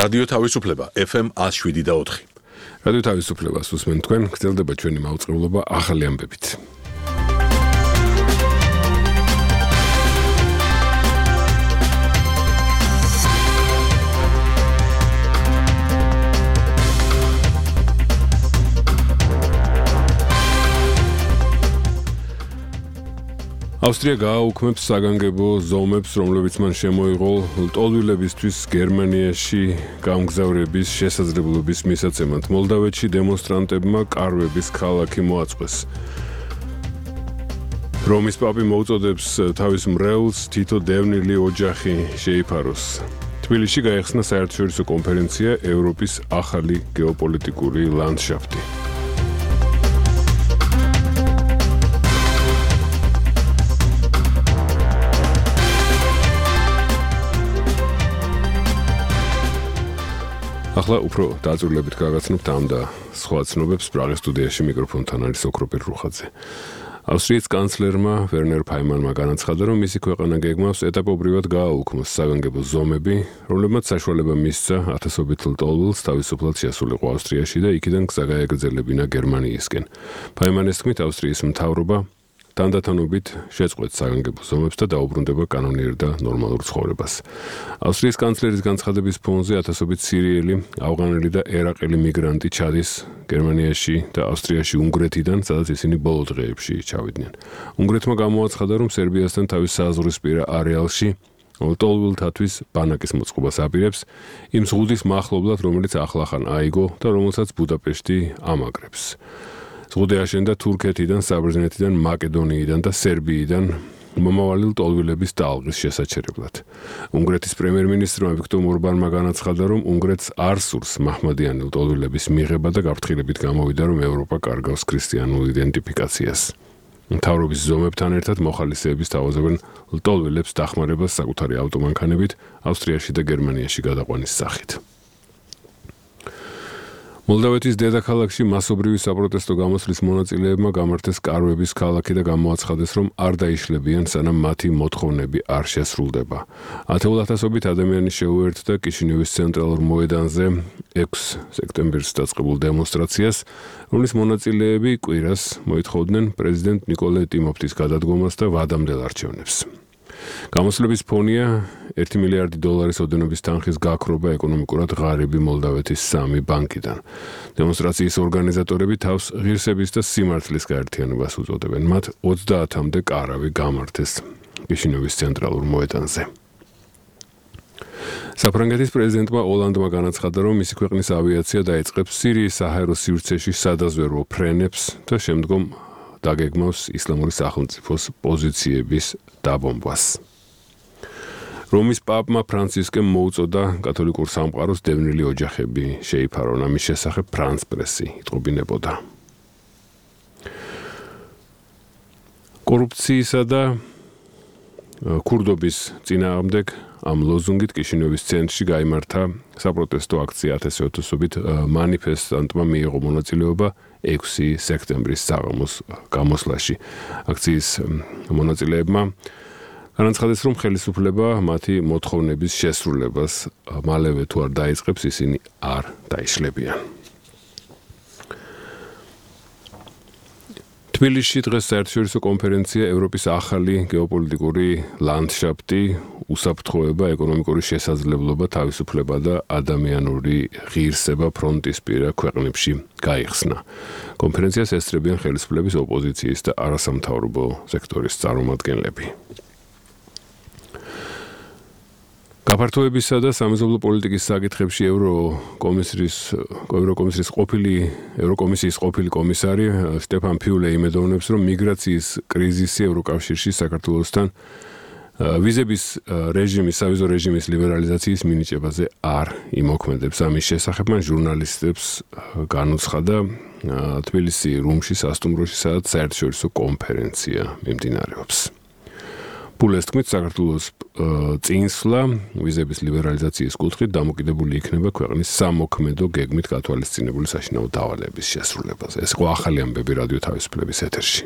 რადიო თავისუფლება FM 107.4. რადიო თავისუფლებას უსმენთ თქვენ, გრძელდება ჩვენი მაუწყებლობა ახალი ამბებით. ავსტრია გააუქმებს საგანგებო ზომებს, რომლებიც მან შემოიღო ლტოლვილებისთვის გერმანიაში გამგზავრების შესაძლებლობის მისაცემად. მოლდავეთში დემონსტრანტებმა კარვების ქალაქი მოაწყვეს. რომის პაპი მოუწოდებს თავის მრევლს თითო დევნილი ოჯახი შეიფაროს. თბილისში გაიხსნა საერთაშორისო კონფერენცია ევროპის ახალი გეოპოლიტიკური ლანდშაფტი. ახლა უფრო დაწვრილებით გაგაცნობთ ამ და სხვა ცნობებს. პრაღის სტუდიაში მიკროფონთან არის ოქროპირ რუხაძე. ავსტრიის კანცლერმა ვერნერ ფაიმანმა განაცხადა, რომ მისი ქვეყანა გეგმავს ეტაპობრივად გააუქმოს საგანგებო ზომები, რომლებმაც საშუალება მისცა ათასობით ლტოლვილს თავისუფლად შესულიყო ავსტრიაში და იქიდან გზა გაეგრძელებინა გერმანიისკენ. ფაიმანის თქმით, ავსტრიის მთავრობა თანდათანობით შეწყვეტს საგანგებო ზომებს და დაუბრუნდება კანონიერ და ნორმალურ ცხოვრებას. ავსტრიის კანცლერის განცხადების ფონზე ათასობით სირიელი, ავღანელი და ერაყელი მიგრანტი ჩადის გერმანიაში და ავსტრიაში უნგრეთიდან, სადაც ისინი ბოლო დღეებში ჩავიდნენ. უნგრეთმა გამოაცხადა, რომ სერბიასთან თავის საზღვრისპირა არეალში ლტოლვილთათვის ბანაკის მოწყობას აპირებს იმ ზღუდის მახლობლად, რომელიც ახლახან აიგო და რომელსაც ბუდაპეშტი ამაგრებს. ზღუდე აშენდა თურქეთიდან, საბერძნეთიდან, მაკედონიიდან და სერბიიდან მომავალი ლტოლვილების ტალღის შესაჩერებლად. უნგრეთის პრემიერ-მინისტრმა ვიქტორ ორბანმა განაცხადა, რომ უნგრეთს არ სურს მაჰმადიანი ლტოლვილების მიღება და გაფრთხილებით გამოვიდა, რომ ევროპა კარგავს ქრისტიანულ იდენტიფიკაციას. მთავრობის ზომებთან ერთად მოხალისეები სთავაზობენ ლტოლვილებს დახმარებას საკუთარი ავტომანქანებით ავსტრიაში და გერმანიაში გადაყვანის სახით. მოლდავეთის დედაქალაქში მასობრივი საპროტესტო გამოსვლის მონაწილეებმა გამართეს კარვების ქალაქი და გამოაცხადეს, რომ არ დაიშლებიან, სანამ მათი მოთხოვნები არ შესრულდება. ათეულათასობით ადამიანი შეუერთდა კიშინიოვის ცენტრალურ მოედანზე 6 სექტემბერს დაწყებულ დემონსტრაციას, რომლის მონაწილეები კვირას მოითხოვდნენ პრეზიდენტ ნიკოლე ტიმოფტის გადადგომას და ვადამდელ არჩევნებს. გამოსვლების ფონია 1 მილიარდი დოლარის ოდენობის თანხის გაქრობა ეკონომიკურად ღარიბი მოლდავეთის 3 ბანკიდან. დემონსტრაციის ორგანიზატორები თავს ღირსების და სიმართლის გაერთიანებას უწოდებენ. მათ 30-მდე კარავი გამართეს კიშინიოვის ცენტრალურ მოედანზე. საფრანგეთის პრეზიდენტმა ოლანდმა განაცხადა, რომ მისი ქვეყნის ავიაცია დაიწყებს სირიის საჰაერო სივრცეში სადაზვერვო ფრენებს და შემდგომ დაგეგმავს ისლამური სახელმწიფოს პოზიციების დაბომბვას. რომის პაპმა ფრანცისკემ მოუწოდა კათოლიკურ სამყაროს დევნილი ოჯახები შეიფარონ. ამის შესახებ ფრანს პრესი იტყობინებოდა. კორუფციისა და ქურდობის წინააღმდეგ ამ ლოზუნგით კიშინიოვის ცენტრში გაიმართა საპროტესტო აქცია 1000 ათასობით მანიფესტანტმა მიიღო მონაწილეობა 6 სექტემბრის საღამოს გამოსვლაში. აქციის მონაწილეებმა განაცხადეს, რომ ხელისუფლება მათი მოთხოვნების შესრულებას მალევე თუ არ დაიწყებს, ისინი არ დაიშლებიან. თბილისში დღეს საერთაშორისო კონფერენცია ევროპის ახალი გეოპოლიტიკური ლანდშაფტი, უსაფრთხოება, ეკონომიკური შესაძლებლობა, თავისუფლება და ადამიანური ღირსება ფრონტისპირა ქვეყნებში გაიხსნა. კონფერენციას ესწრებიან ხელისუფლების, ოპოზიციის და არასამთავრობო სექტორის წარმომადგენლები. გაფართოებისა და სამეზობლო პოლიტიკის საკითხებში ევროკომისიის ყოფილი კომისარი სტეფან ფიულე იმედოვნებს, რომ მიგრაციის კრიზისი ევროკავშირში საქართველოსთან ვიზების სავიზო რეჟიმის ლიბერალიზაციის მინიჭებაზე არ იმოქმედებს. ამის შესახებ მან ჟურნალისტებს განუცხადა თბილისი რუმში სასტუმროში, სადაც საერთაშორისო კონფერენცია მიმდინარეობს. ფულეს თქმით, საქართველოს წინსვლა ვიზების ლიბერალიზაციის კუთხით დამოკიდებული იქნება ქვეყნის სამოქმედო გეგმით გათვალისწინებული საშინაო დავალების შესრულებაზე. ეს იყო ახალი ამბები რადიო თავისუფლების ეთერში.